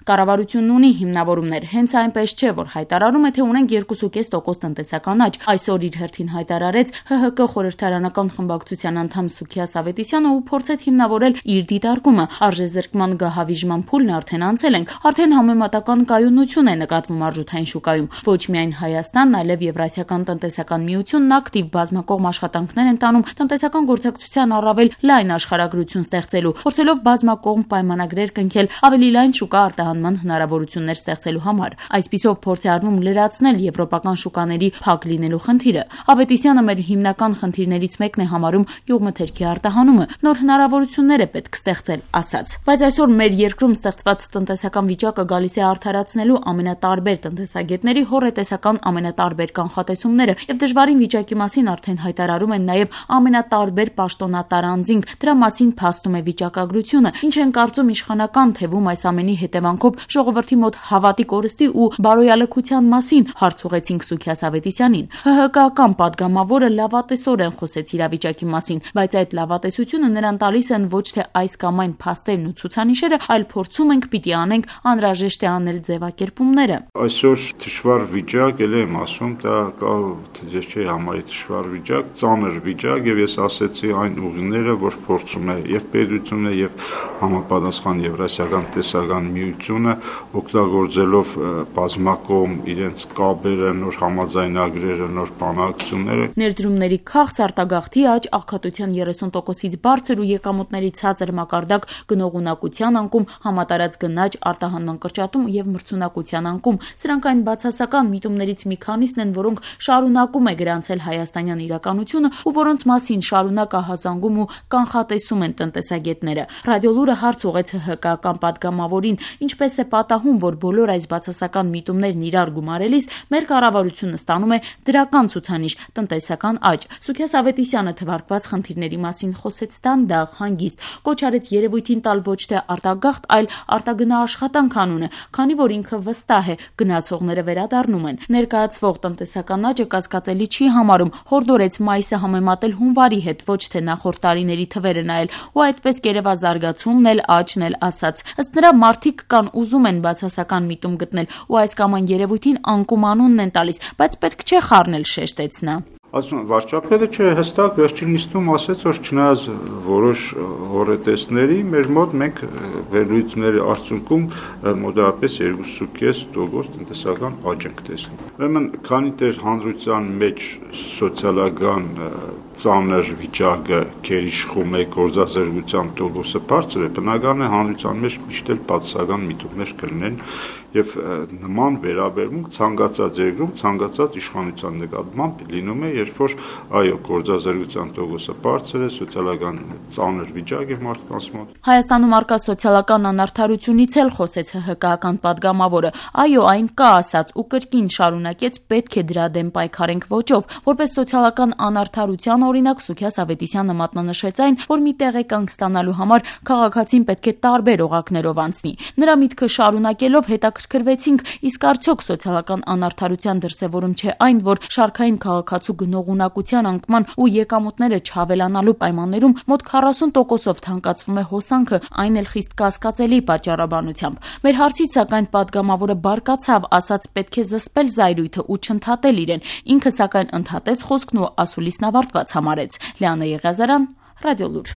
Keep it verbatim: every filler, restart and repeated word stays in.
Կառավարությունն ունի հիմնավորումներ, հենց այնպես չէ, որ հայտարարում է, թե ունենք երկու կես տոկոս տնտեսական աճ։ Այսօր իր հերթին հայտարարեց Հ Հ Կ խորհրդարանական խմբակցության անդամ Սուքիաս Ավետիսյանը ու փորձեց հիմնավորել իր դիտարկումը։ Արժեզրկման գահավիժման փուլն արդեն անցել ենք, արդեն համեմատական կայունություն է նկատվում արժութային շուկայում։ Ոչ միայն Հայաստանն, այլև Եվրասիական տնտեսական միությունն ակտիվ բազմակողմ աշխատանքներ են տանում տնտեսական գործակցության առավել լայն աշխարհագրություն ստեղծելու, փորձելով բազմակողմ պայմանագրեր կնքել ավելի լայն շուկա արտահանման հնարավորություններ ստեղծելու համար։ Այսպիսով փորձ է արվում լրացնել եվրոպական շուկաների փակ լինելու խնդիրը։ Ավետիսյանը մեր հիմնական խնդիրներից մեկն է համարում գյուղմթերքի արտահանումը, նոր հնարավորություններ է պետք ստեղծել, ասաց։ Բայց այսօր մեր երկրում ստեղծված տնտեսական վիճակը գալիս է արդարացնելու ամենատարբեր տնտեսագետների հոռետեսական ամենատարբեր կանխատեսումները եւ դժվարին վիճակի մասին արդեն հայտարարում են նաեւ ամենատարբեր պաշտոնատար անձինք։ Դրա մասին փաստում է վիճակագրությունը, ինչ են կարծում իշխանական թևում այս ամենի հետևանքով ժողովրդի մոտ հավատի կորստի ու բարոյալքության մասին, հարց ուղեցինք Սուքիաս Ավետիսյանին։ Հ Հ Կ-ական պատգամավորը լավատեսորեն խոսեց իրավիճակի մասին, բայց այդ լավատեսությունը նրան տալիս են ոչ թե այս կամ այն փաստերն ու ցուցանիշերը, այլ փորձում ենք պիտի անենք անհրաժեշտ է անել ձևակերպումները։ Այսօր դժվար վիճակ, ել եմ ասում, դա կա ես չի համարի դժվար վիճակ, ծանր վիճակ եւ ես ասեցի այն ուղիները, որ փորձում է եւ պետությունը եւ համապատասխան Եվրասիական տնտեսական միությունը օգտագործելով բազմակողմ իրենց կապերը, նոր համաձայնագրերը, նոր բանակցությունները։ Ներդրումների քաղց արտագաղթի աճ, աղքատության երեսուն տոկոսից բարձր ու եկամուտների ցածր մակարդակ, գնողունակության անկում, համատարած գնաճ, արտահանման կրճատում եւ մրցունակության անկում։ Սրանք այն բացասական միտումներից մի քանիսն են, որոնք շարունակում է գրանցել հայաստանյան իրականությունը ու որոնց մասին շարունակ ահազանգում ու կանխատեսում են տնտեսագետները։ Ռադիոլուրը հարց ուղեց Հ Հ Կ-ական պատգամավորին, ինչպես է պատահում, որ բոլոր այս բացասական միտումներն իրար գումարելիս մեր կառավարությունը ստանում է դրական ցուցանիշ՝ տնտեսական աճ։ Սուքիաս Ավետիսյանը թվարկված խնդիրների մասին խոսեց դանդաղ, հանգիստ, կոչ արեց երևույթին տալ ոչ թե արտագաղթ, այլ արտագնա աշխատանք անունը, քանի որ ինքը վստահ է, գնացողները վերադառնում են։ Ներկայացվող տնտեսական աճը կասկածելի չի համարում, հորդորեց մայիսը համեմատել հունվարի հետ, ոչ թե նախորդ տարիների թվերը նայել, ու այդպես գերեվազարգացումն էլ աճն էլ ասաց։ Ըստ նրա մարդիկ կան ուզում են բացասական միտում գտնել ու այս կամ այն երևույթին անկում անունն են տալիս, բայց պետք չէ խառնել, շեշտեց նա։ Ասում վարչապետը չէ հստակ վերջին նիստում ասեց, որ չնայած որոշ հոռետեսների մեր մոտ մենք վերլուծությունների արդյունքում մոտավորապես երկու կես տոկոս տնտեսական աճ ենք տեսնում։ Ուրեմն քանի դեռ հանրության մեջ սոցիալական ծանր վիճակը գերիշխում է, գործազրկության տոկոսը բարձր է, բնական է հանրության մեջ միշտ էլ բացասական միտումներ կլինեն եւ նման վերաբերմունք ցանկացած երկրում ցանկացած իշխանության նկատմամբ լինում է, երբ որ այո գործազրկության տոկոսը բարձր է, սոցիալական ծանր վիճակ է մարդկանց մոտ։ Հայաստանում արկա սոցիալական անարդարությունից էլ խոսեց Հ Հ Կ-ական պատգամավորը։ Այո, այն կա ասաց ու կրկին շարունակեց պետք է դրա դեմ պայքարենք ոճով, որպես սոցիալական անարդարության օրինակ Սուքիաս Ավետիսյանը մատնանշեց այն, որ մի տեղեկանք ստանալու համար քաղաքացին պետք է տարբեր օղակներով անցնի։ Նրա միտքը շարունակելով հետաքրքրվեցինք, իսկ արդյոք սոցիալական անարդարության դրսևորում չէ այն, որ շարքային քաղաքացու գնողունակության անկման ու եկամուտները չավելանալու պայմաններում մոտ քառասուն տոկոսով թանկացվում է հոսանքը, այն էլ խիստ կասկածելի պատճառաբանությամբ։ Մեր հարցից սակայն պատգամավորը բարկացավ, ասաց պետք է զսպել զայրույթը ու չընդհատել իրեն։ Ինքը սակայն ընդհատեց խոսքն ու ասուլիսն ավարտված համարեց։ Լիանա Եղիազարյան, Ռադիոլուր։